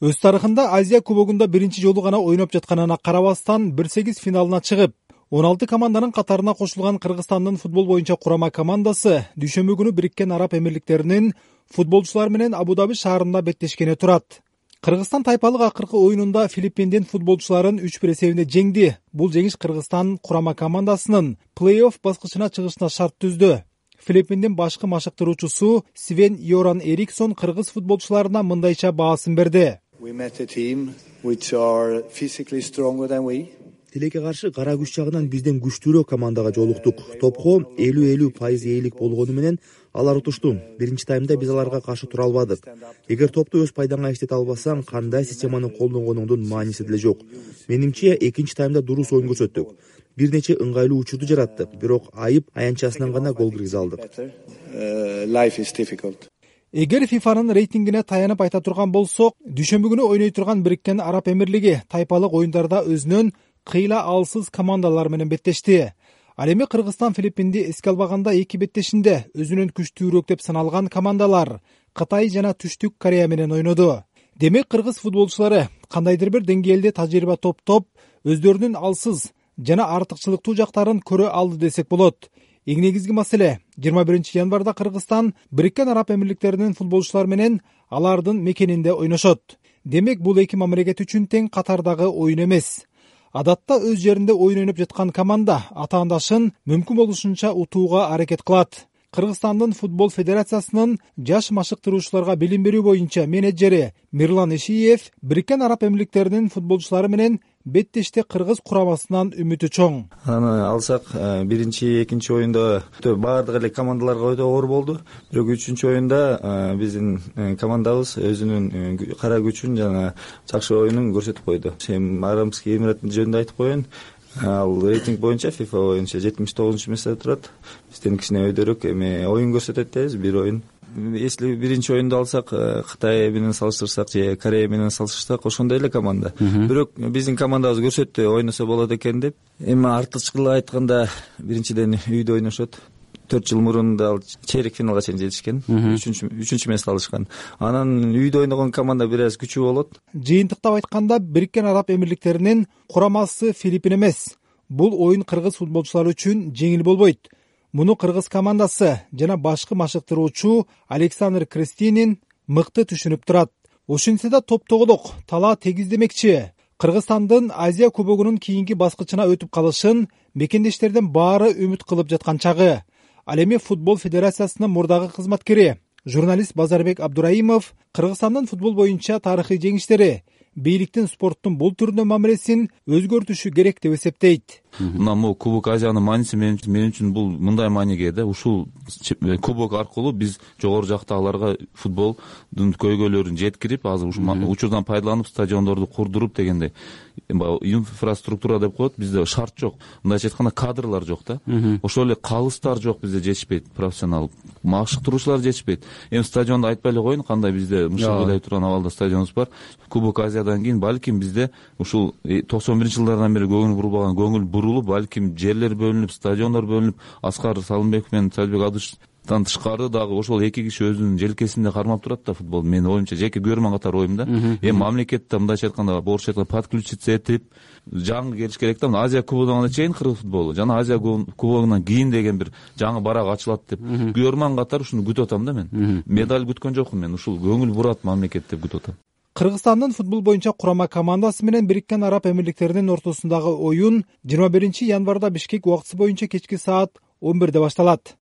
Өз тарыхында Азия кубогунда биринчи жолу гана ойноп жатканына карабастан 1/8 финалына чыгып, 16 команданын катарына кошулган Кыргызстандын футбол боюнча курама командасы дүйшөмбү күнү Бириккен Араб Эмирликтеринин футболчулары менен Абу-Даби шаарында беттешкене турат. Кыргызстан тайпалык акыркы оюнунда Филиппиндин футболчуларын 3-1 эсебинде жеңди. Бул жеңиш Кыргызстан курама командасынын плей-офф баскычына чыгышына шарт түздү. Филиппиндин башкы машыктыруучусу Свен Йоран Эриксон кыргыз футболчуларына мындайча баасын берди. Тилекке каршы кара күч жагынан бизден күчтүүрөөк командага жолуктук. Топко 50% ээлик болгону менен алар утушту. Биринчи таймда биз аларга каршы тура албадык. Эгер топту өз пайдаңа иштете албасаң, кандай системаны колдонгонуңдун мааниси деле жок. Менимче, экинчи таймда дурус оюн көрсөттүк. Бир нече ыңгайлуу учурду жараттык, бирок айып аянтчасынан гана гол киргизе алдык. Эгер ФИФАнын рейтингине таянып айта турган болсок, дүйшөмбү күнү ойной турган Бириккен Араб Эмирлиги тайпалык оюндарда өзүнөн кыйла алсыз командалар менен беттешти. Ал эми Кыргызстан Филиппинди эске албаганда эки беттешинде өзүнөн күчтүүрөөк деп саналган командалар Кытай жана Түштүк Корея менен ойноду. Демек кыргыз футболчулары кандайдыр бир деңгээлде тажрыйба топтоп, өздөрүнүн алсыз жана артыкчылыктуу жактарын көрө алды десек болот. Эң негизги маселе 21 январда Кыргызстан Бириккен Араб Эмирликтеринин футболчулары менен алардын мекенинде ойношот. Демек бул эки мамлекет үчүн тең катардагы оюн эмес. Адатта өз жеринде оюн ойноп жаткан команда атаандашын мүмкүн болушунча утууга аракет кылат. Кыргызстандын футбол федерациясынын жаш машыктыруучуларга билим берүү боюнча менеджери Мирлан Ишиев Бириккен Араб Эмирликтеринин футболчулары менен беттеште кыргыз курамасынан үмүтү чоң. Аны алсак, биринчи, экинчи оюнда баардык эле командаларга өтө оор болду. Бирок үчүнчү оюнда биздин командабыз өзүнүн кара күчүн жана жакшы оюнун көрсөтүп койду. Арабский Эмират жөнүндө айтып коеюн. Ал рейтинг боюнча FIFA боюнча 79-месте турат. Бизден кичине өйдөрөөк эми оюн көрсөтөт дейбиз, бир оюн. Если биринчи оюнду алсак, Кытай менен салыштырсак же Корея менен салыштырсак, ошондой эле команда. Бирок биздин командабыз көрсөттү ойносо болот экен деп. Эми артыкчылык айтканда, биринчиден үйдө ойношот. 4 жыл мурун да чейрек финалга чейин жетишкен. Үчүнчү месте алышкан. Анан үйдө ойногон команда бир аз күчүү болот. Жыйынтыктап айтканда, Бириккен Араб Эмирликтеринин курамасы Филиппин эмес. Бул оюн кыргыз футболчулары үчүн жеңил болбойт. Муну кыргыз командасы жана башкы машыктыруучу Александр Крестинин мыкты түшүнүп турат. Ошентсе да топтогулук талаа тегиз демекчи. Кыргызстандын Азия кубогунун кийинки баскычына өтүп калышын мекендештердин баары үмүт кылып жаткан чагы. Ал эми футбол федерациясынын мурдагы кызматкери, журналист Базарбек Абдураимов Кыргызстандын футбол боюнча тарыхый жеңиштери, бийликтин спорттун бул түрүнө мамилесин өзгөртүшү керек деп эсептейт. Мына могу Кубок Азиянын мааниси мен үчүн бул мындай мааниге да, ушул кубок аркылуу биз жогору жактагыларга футболдун көйгөйлөрүн жеткирип, азыр ушул учурдан пайдаланып стадиондорду курдуруп дегендей инфраструктура деп коет, бизде шарт жок. Мындайча айтканда кадрлар жок да. Ошол эле калыстар жок, бизде жетишпейт, профессионал машыктыруучулар жетишпейт. Эми стадионду айтпай эле коеюн, кандай бизде мышык ылай турган абалда стадионубуз бар. Кубок Азиядан кийин балким бизде ушул 91-жылдардан бери көңүл бурулбаган көңүл бурулуп, балким жерлер бөлүнүп, стадиондор бөлүнүп, Аскар Салымбеков менен Салбек Адыштан тышкары дагы ошол эки киши өзүнүн желкесинде кармап турат да футбол. Менин оюмча, жеке көрмөн катары оюм да. Эми мамлекетте мындайча айтканда, орусча айтканда подключиться этип, жаңы келиш керек да. Азия кубогуна чейин кыргыз футболу жана Азия кубогунан кийин деген бир жаңы барак ачылат деп көрмөн катары ушуну күтүп атам да мен. Медаль күткөн жокмун мен, ушул көңүл бурат мамлекет деп күтүп атам. Кыргызстандын футбол боюнча курама командасы менен Бириккен Араб Эмирликтеринин ортосундагы оюн 21 январда Бишкек убактысы боюнча кечки саат 11-де башталат.